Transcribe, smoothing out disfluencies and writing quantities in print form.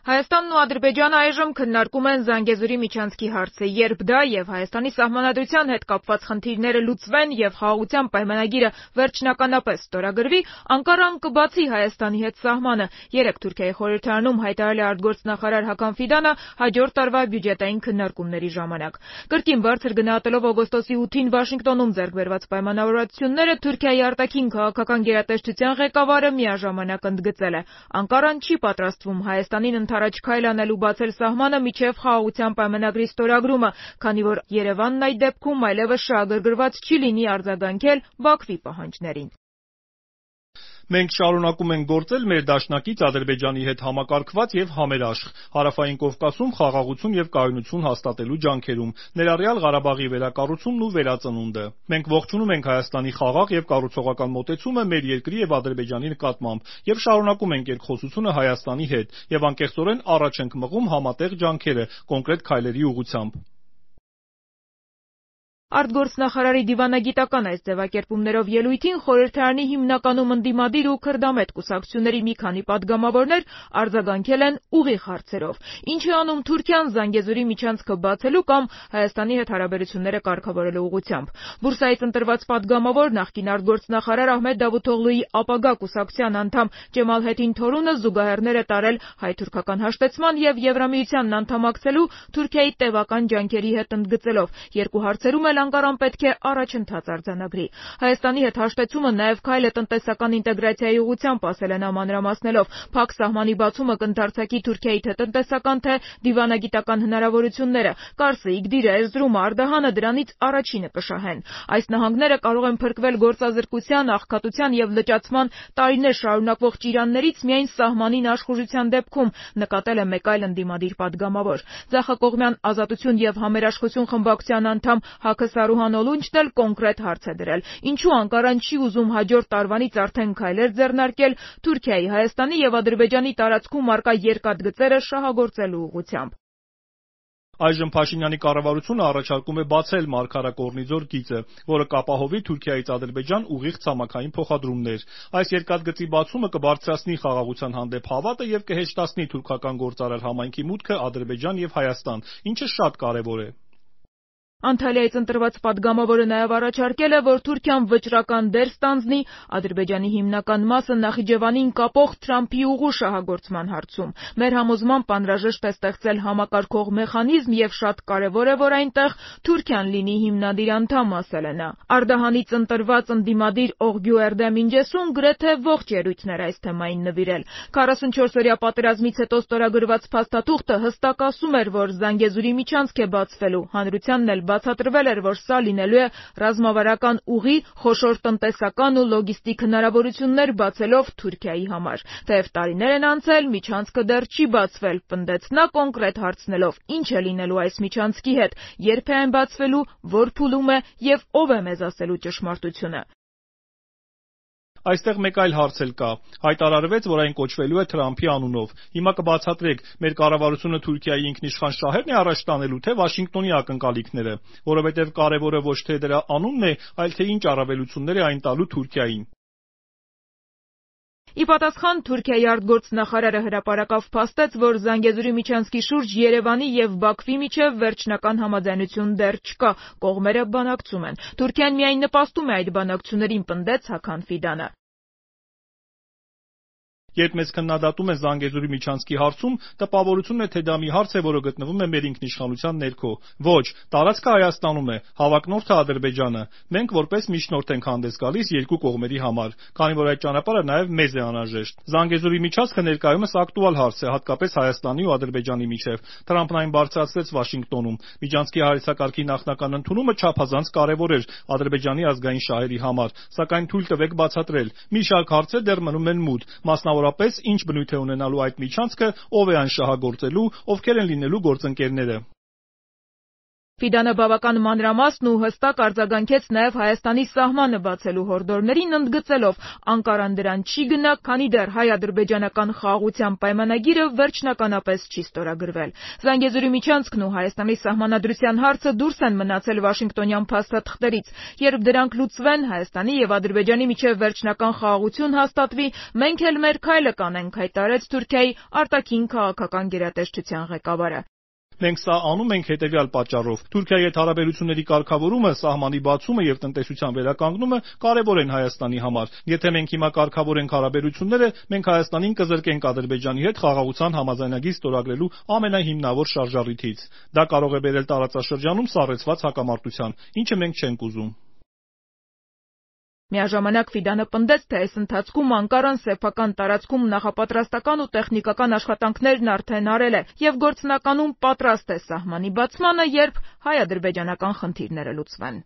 Հայաստանն ու Ադրբեջանը այժմ քննարկում են Զանգեզուրի միջանցքի հարցը, երբ դա եւ Հայաստանի սահմանադրության հետ կապված խնդիրները լուծվեն եւ խաղաղության պայմանագիրը վերջնականապես ստորագրվի, Անկարան կբացի Հայաստանի հետ սահմանը, երեկ Թուրքիայի խորհրդարանում հայտարարել է արտգործնախարար Հական Ֆիդանը հաջորդ տարվա բյուջետային քննարկումների ժամանակ։ Կրկին բարձր գնահատելով օգոստոսի 8-ին Վաշինգտոնում ձեռք բերված պայմանավորվածությունները, Թուրքիայի արտաքին քաղաքական գերատեսչության ղեկավարը միաժամանակ ընդգծել է. Անկարան չի պատրաստվում Հայաստանին առաջ քայլ անելու բացել սահմանը մինչև խաղաղության պայմանագրի ստորագրումը, քանի որ Երևանն այդ դեպքում այլևս շահագրգռված չի լինի արձագանքել Բաքվի պահանջներին։ Մենք շարունակում ենք գործել մեր դաշնակից Ադրբեջանի հետ համակարգված եւ համերաշխ Հարավային Կովկասում խաղաղություն եւ կայունություն հաստատելու ջանքերում, ներառյալ Ղարաբաղի վերակառուցումն ու վերածնունդը։ Մենք ողջունում ենք Հայաստանի խաղաղ եւ կառուցողական մոտեցումը մեր երկրի եւ Ադրբեջանի նկատմամբ եւ շարունակում ենք երկխոսությունը Հայաստանի հետ եւ անկեղծորեն առաջ ենք մղում համատեղ ջանքերը կոնկրետ քայլերի ուղղությամբ։ Արտգործնախարարի դիվանագիտական այս ձևակերպումներով ելույթին խորհրդարանի հիմնականում ընդդիմադիր ու քրդամետ կուսակցությունների մի քանի падգամավորներ արձագանքել են ուղիղ հարցերով։ Ինչ է անում Թուրքիան Զանգեզուրի միջանցքը բացելու կամ Հայաստանի հետ հարաբերությունները կարգավորելու ուղղությամբ։ Բուրսայից ընտրված падգամավոր նախկին արտգործնախարար Ահմեդ Դավութօղլուի ապագա կուսակցության անդամ Ջեմալ Թորունը զուգահեռներ է տարել հայ-թուրքական հաշտեցման եւ Եվրամիությանն անդամակցելու Թուրքիայի տևական ջանքերի հետ ընդգծելով երկու հարցերում էլ Անկարան պետք է առաջընթաց արձանագրի։ Հայաստանի հետ հաշտեցումը նաև քայլ է տնտեսական ինտեգրացիայի ուղղությամբ, ասել է նա մանրամասնելով։ Փակ սահմանի բացումը կընդարձակի Թուրքիայի թե տնտեսական, թե դիվանագիտական հնարավորությունները։ Կարսը, Իգդիրը, Էրզրումը, Արդահանը դրանից առաջինը կշահեն։ Այս նահանգները կարող են փրկվել գործազրկության, աղքատության եւ լճացման տարիներ շարունակվող ճիրաններից միայն սահմանին աշխուժության դեպքում, նկատել է մեկ այլ ընդդիմադիր падգամավոր։ Ձախակողմյան ազատություն եւ համերաշխություն խմբակցության անդամ Հակը Սարուհան Օլունչն էլ կոնկրետ հարց է դրել. Ինչու Անկարան չի ուզում հաջորդ տարվանից արդեն քայլեր ձեռնարկել Թուրքիայի, Հայաստանի եւ Ադրբեջանի տարածքում առկա երկաթգծերը շահագործելու ուղղությամբ։ Այժմ Փաշինյանի կառավարությունը առաջարկում է բացել Մարգարա-Կորնիձոր գիծը, որը կապահովի Թուրքիայից Ադրբեջան ուղիղ ցամաքային փոխադրումներ։ Այս երկաթգծի բացումը կբարձրացնի խաղաղության հանդեպ հավատը եւ կհեշտացնի թուրքական գործարար համայնքի մուտքը Ադրբեջան եւ Հայաստան, ինչը շատ կարեւոր է։ Անտալիայից ընտրված падգամավորը նաև առաջարկել է, որ Թուրքիան վճռական դեր ստանձնի Ադրբեջանի հիմնական մասը Նախիջևանին կապող Թրամփի ուղու շահագործման հարցում։ Մեր համոզմամբ անհրաժեշտ է ստեղծել համակարգող մեխանիզմ եւ շատ կարեւոր է, որ այնտեղ Թուրքիան լինի հիմնադիր անդամ, ասել է նա։ Արդահանից ընտրված ընդդիմադիր Օղգյու Էրդեմ Ինջեսուն գրեթե ողջ ելույթներ այս թեմային նվիրել։ 44-օրյա պատերազմից հետո ստորագրված փաստաթուղթը հստակ ասում էր, որ Զանգեզուրի միջանցք է բացվելու, հանրությանն էլ բացատրվել էր, որ սա լինելու է ռազմավարական ուղի, խոշոր տնտեսական ու լոգիստիկ հնարավորություններ բացելով Թուրքիայի համար։ Թեև տարիներ են անցել, միջանցքը դեռ չի բացվել, պնդեց նա կոնկրետ հարցնելով. ինչ է լինելու այս միջանցքի հետ, երբ է այն բացվելու, որ փուլում է եւ ով է մեզ ասելու ճշմարտությունը։ Այստեղ մեկ այլ հարց էլ կա։ Հայտարարվեց, որ այն կոչվելու է Թրամփի անունով։ Հիմա կբացատրեք, մեր կառավարությունը Թուրքիայի ինքնիշխան շահերն է առաջ տանելու, թե Վաշինգտոնի ակնկալիքները, որովհետև կարևորը ոչ թե դրա անունն է, այլ թե ինչ առավելություններ է այն տալու Թուրքիային։ Ի պատասխան Թուրքիայի արտգործնախարարը հրապարակավ փաստեց, որ Զանգեզուրի միջանցքի շուրջ Երևանի եւ Բաքվի միջև վերջնական համաձայնություն դեռ չկա, կողմերը բանակցում են։ Թուրքիան միայն նպաստում է այդ բանակցություններին, պնդեց Հական Ֆիդանը։ Երբ մեզ քննադատում են Զանգեզուրի միջանցքի հարցում, տպավորությունն է, թե դա մի հարց է, որը գտնվում է մեր ինքնիշխանության ներքո։ Ոչ, տարածքը Հայաստանում է, հավակնորդը Ադրբեջանը։ Մենք որպես միջնորդ ենք հանդես գալիս երկու կողմերի համար, քանի որ այդ ճանապարհը նաև մեզ է անհրաժեշտ։ Զանգեզուրի միջանցքը ներկայումս ակտուալ հարց է, հատկապես Հայաստանի ու Ադրբեջանի միջև։ Թրամփն այն բարձրացրեց Վաշինգտոնում։ Միջանցքի հայեցակարգի նախնական ընդունումը չափազանց կարևոր էր Ադրբեջանի ազգային շահերի համար, սակայն թույլ տվեք բացատրել։ Մի շարք հարցեր դեռ մնում են մութ, մասնավորապես ինչ բնույթ է ունենալու այդ միջանցքը, ով է այն շահագործելու, ովքեր են լինելու գործընկերները։ Ֆիդանը բավական մանրամասն ու հստակ արձագանքեց նաև Հայաստանի սահմանը բացելու հորդորներին, ընդգծելով Անկարան դրան չի գնա, քանի դեռ հայ-ադրբեջանական խաղաղության պայմանագիրը վերջնականապես չի ստորագրվել։ Զանգեզուրի միջանցքն ու Հայաստանի սահմանադրության հարցը դուրս են մնացել Վաշինգտոնյան փաստաթղթերից։ Երբ դրանք լուծվեն, Հայաստանի եւ Ադրբեջանի միջև վերջնական խաղաղություն հաստատվի, մենք էլ մեր քայլը կանենք, հայտարարեց Թուրքիայի արտաքին քաղաքական գերատեսչության ղեկավարը։ Մենք սա անում ենք հետևյալ պատճառով. Թուրքիայի հետ հարաբերությունների կարգավորումը, սահմանի բացումը եւ տնտեսության վերականգնումը կարեւոր են Հայաստանի համար։ Եթե մենք հիմա կարգավորենք հարաբերությունները, մենք Հայաստանին կզրկենք Ադրբեջանի հետ խաղաղության համաձայնագիր ստորագրելու ամենահիմնավոր շարժառիթից։ Դա կարող է բերել տարածաշրջանում սառեցված հակամարտության, ինչը մենք չենք ուզում։ Միաժամանակ Ֆիդանը պնդեց, թե այս ընթացքում Անկարան սեփական տարածքում նախապատրաստական ու տեխնիկական աշխատանքներն արդեն արել է եւ գործնականում պատրաստ է սահմանի բացմանը, երբ հայ-ադրբեջանական խնդիրները լուծվեն։